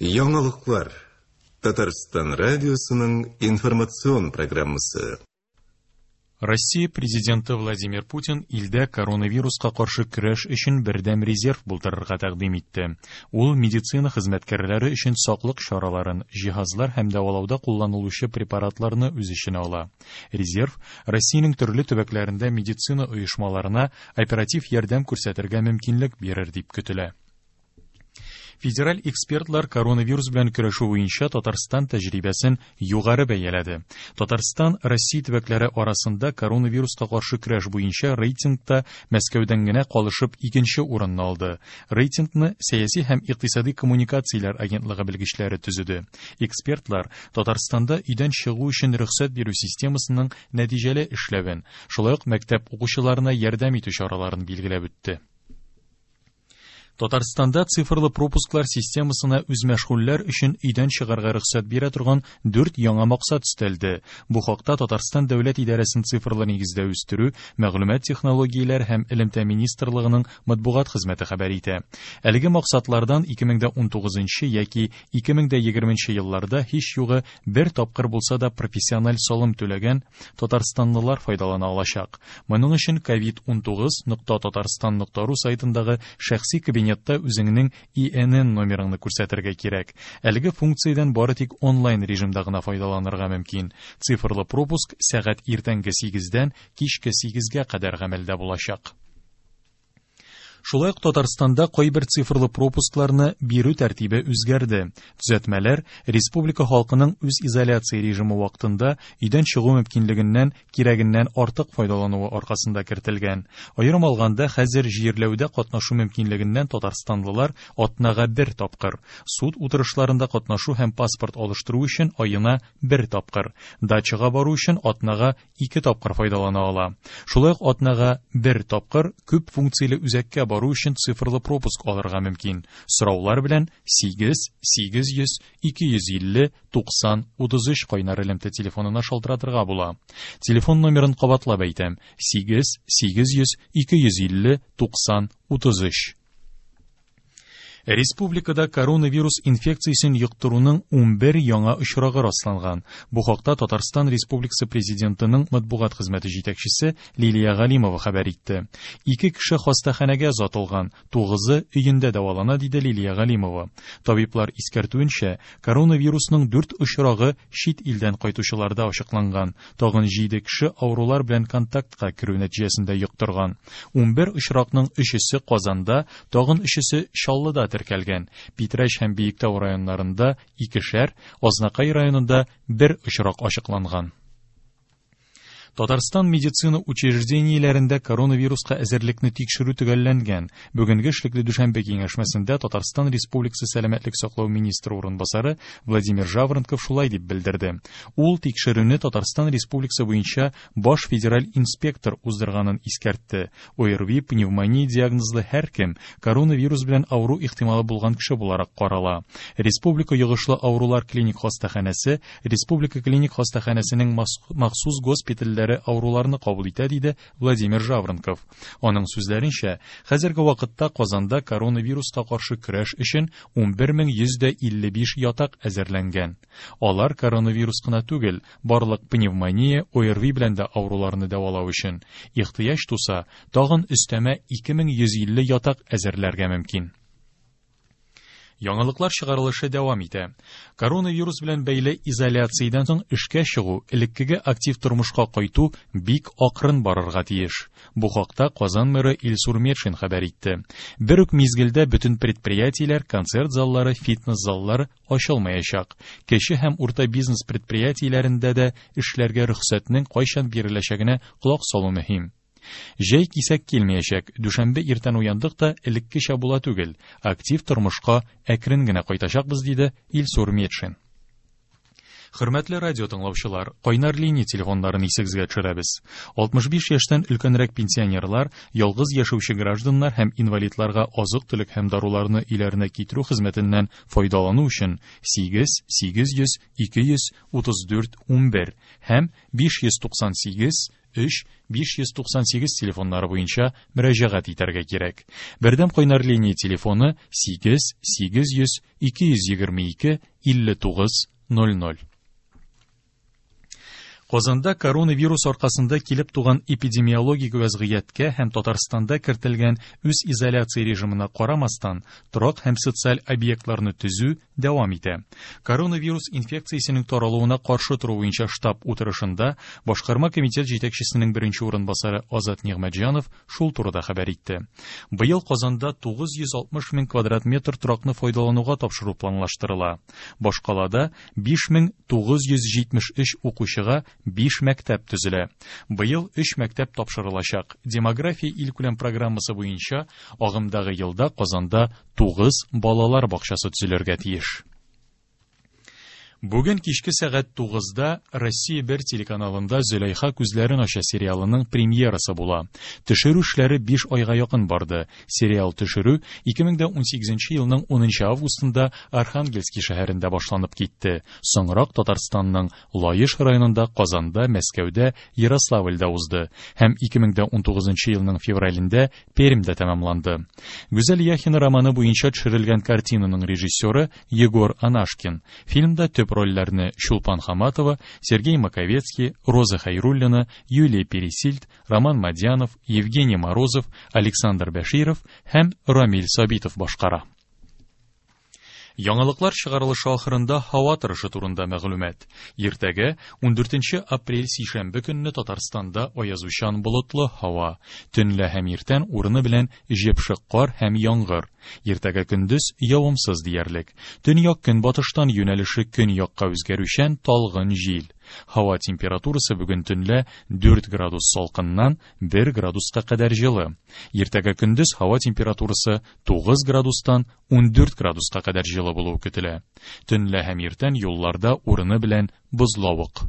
Яңалыклар. Татарстан радиосының информацион программасы. Россия Президенты Владимир Путин илдә коронавируска каршы көрәш өчен бердәм резерв булдырырга тәкъдим итте. Ул медицина хезмәткәрләре өчен саклык чараларын, җиһазлар һәм дәвалауда кулланылучы препаратларны үз эченә ала. Резерв Россиянең төрле төбәкләрендә медицина оешмаларына оператив ярдәм күрсәтергә мөмкинлек бирер дип көтелә. Федераль экспертлар коронавирус белән көрәшү буенча Татарстан тәҗрибәсен югары бәяләде. Татарстан Россия төбәкләре арасында коронавируска каршы көрәш буенча рейтингта Мәскәүдән генә калышып икенче урынны алды. Рейтингны Сәяси һәм икътисади коммуникацияләр агентлыгы белгечләре төзеде. Экспертлар Татарстанда өйдән чыгу өчен рөхсәт бирү системасының нәтиҗәле эшләвен, шулай ук мәктәп укучыларына ярдәм итү чараларын билгеләп үтте. Татарстанда цифрлы пропусклар системасына үзмәшгульләр өчен өйдән чыгарга рөхсәт бирә торган дүрт яңа максат өстәлде. Бу хакта Татарстан дәүләт идарәсен цифрлы нигездә үстерү, мәгълүмат технологияләре һәм элемтә министрлыгының матбугат хезмәте хәбәр итә. Әлеге максатлардан 2019 яки 2020 елларда һич югы бер тапкыр булса да профессиональ салым түләгән татарстанлылар файдалана алачак. Моның өчен covid19.tatarstan.ru сайтындагы шәхси кабинетта үзеңнең ИНН номерыңны күрсәтергә кирәк. Әлеге функциядән бары тик онлайн режимда гына файдаланырга мөмкин. Цифрлы пропуск сәгать иртәнге 8-дән кичке 8-гә кадәр гамәлдә булачак. Шулай ук Татарстанда кайбер цифрлы пропускларны бирү тәртибе үзгәрде. Төзәтмәләр республика халкының үз изоляция режимы вакытында өйдән чыгу мөмкинлегеннән кирәгеннән артык файдалануы аркасында кертелгән. Аерым алганда, хәзер җирләүдә катнашу мөмкинлегеннән татарстанлылар атнага бер тапкыр, суд утырышларында катнашу һәм паспорт алыштыру өчен аена бер тапкыр, дачага бару өчен атнага ике тапкыр файдалана ала. Шулай ук атнага бер тапкыр күп функцияле үзәккә бару өчен цифрлы пропуск алырга мөмкин. Сораулар белән 8 800 250 90 33 кайнар элемтә телефонына шалтыратырга була. Телефон номерын кабатлап әйтәм: 8 800 250 90 33. Республикада коронавирус инфекциясен йоктыруның 11 яңа очрагы расланган. Бу хакта Татарстан Республикасы Президентының матбугат хезмәте җитәкчесе Лилия Галимова хәбәр итте. Ике кеше хастаханәгә озатылган, тугызы өендә дәвалана, диде Лилия Галимова. Табиблар искәртүенчә, коронавирусның 4 очрагы чит илдән кайтучыларда ачыкланган. Тагын 7 кеше авырулар белән контактка керү нәтиҗәсендә йоктырган. 11 очракның өчесе Казанда, тагын өчесе Чаллыда теркәлгән. Питрәч һәм Биектау районнарында икешәр, Азнакай районында бер очрак ачыкланган. Татарстан медицина учреждениеләрендә коронавируска әзерлекне тикшерү төгәлләнгән. Бүгенге эшлекле дүшәмбе киңәшмәсендә Татарстан Республикасы сәламәтлек саклау министры урынбасары Владимир Жаворонков шулай дип белдерде. Ул тикшерүне Татарстан Республикасы буенча баш федераль инспектор уздырганын искәртте. ОРВИ, пневмония диагнозлы һәркем коронавирус белән авыру ихтималы булган кеше буларак карала. Республика йогышлы авырулар клиник хастаханәсе Республика клиник хастаханәсенең махсус госпитальләре авыруларны кабул итә, диде Владимир Жаворонков. Аның сүзләренчә, хәзерге вакытта Казанда коронавируска каршы көрәш өчен 11155 ятак әзерләнгән. Алар коронавирус кына түгел, барлык пневмония, ОРВИ белән дә авыруларны дәвалау өчен. Ихтыяҗ туса, тагын өстәмә 2150 ятак әзерләргә мөмкин. Яңалыклар чыгарылышы дәвам итә. Коронавирус белән бәйле изоляциядән соң эшкә чыгу, элеккеге актив тормышка кайту бик акрын барырга тиеш. Бу хакта Казан мэры Илсур Метшин хәбәр итте. Бер үк мизгелдә бөтен предприятиеләр, концерт заллары, фитнес заллары ачылмаячак. Кече һәм урта бизнес предприятиеләрендә дә эшләргә рөхсәтнең кайчан биреләчәгенә колак салу мөһим. Җәй кисәк килмәячәк. Дүшәмбе иртән уяндык та элеккечә була түгел. Актив тормышка әкрен генә кайтачакбыз, диде Илсур Метшин. Хөрмәтле радио тыңлаучылар, кайнар линия телефоннарын исегезгә төшерәбез. 65 яшьтән өлкәнрәк пенсионерлар, ялгыз яшәүче гражданнар һәм инвалидларга азык-төлек һәм даруларны өйләренә китерү хезмәтеннән файдалану өчен 8 800 234 11 һәм 598 3 598 телефоннары буенча мөрәҗәгать итәргә кирәк. Бердәм кайнар линия телефоны 8 800 222 59 00. Казанда коронавирус аркасында килеп туган эпидемиологик вәзгыятькә һәм Татарстанда кертелгән үз изоляция режимына карамастан, торак һәм социаль объектларны төзү дәвам итә. Коронавирус инфекциясенең таралуына каршы тору буенча штаб утырышында башкарма комитет җитәкчесенең беренче урынбасары Азат Нигъмәтҗанов шул турыда хәбәр итте. Быел Казанда 960 мең квадрат метр торакны файдалануга тапшыру планлаштырыла. Башкалада 5973 укучыга 5 мәктәп төзелә. Быел 3 мәктәп тапшырылачак. Демография илкүләм программасы буенча агымдагы елда Казанда 9 балалар бакчасы төзелергә тиеш. Бүген кичке сәгать 9-да Россия 1 телеканалында Зөләйха күзләрен ача сериалының премьерасы була. Төшерү эшләре 5 айга якын барды. Сериал төшерү 2018 елның 10 августында Архангельский шәһәрендә башланып китте. Соңрак Татарстанның Лаеш районында, Казанда, Мәскәүдә, Ярославльдә узды һәм 2019 елның февралендә Пермьдә тәмамланды. Гүзәл Яхина романы буенча төшерелгән картинаның режиссеры Егор Анашкин. Фильмда төп рольләрне Чулпан Хаматова, Сергей Маковецкий, Роза Хайруллина, Юлия Пересильд, Роман Мадьянов, Евгений Морозов, Александр Бәширов һәм Рамиль Сабитов башкара. Яңалыклар чыгарылышы ахырында һава торышы турында мәгълүмат. Иртәгә 14 апрель сишәмбе көнне Татарстанда аязучан болытлы һава. Төнлә һәм иртән урыны белән җепшек кар һәм яңгыр. Иртәгә көндез явымсыз диярлек. Төньяк көнбатыштан юнәлеше көньякка үзгәрүчән талгын җил. Һава температурасы бүген төнлә 4 градус салкыннан 1 градуска кадәр җылы. Иртәгә көндез һава температурасы 9 градустан 14 градуска кадәр җылы булуы көтелә. Төнлә һәм иртән юлларда урыны белән бозлавык.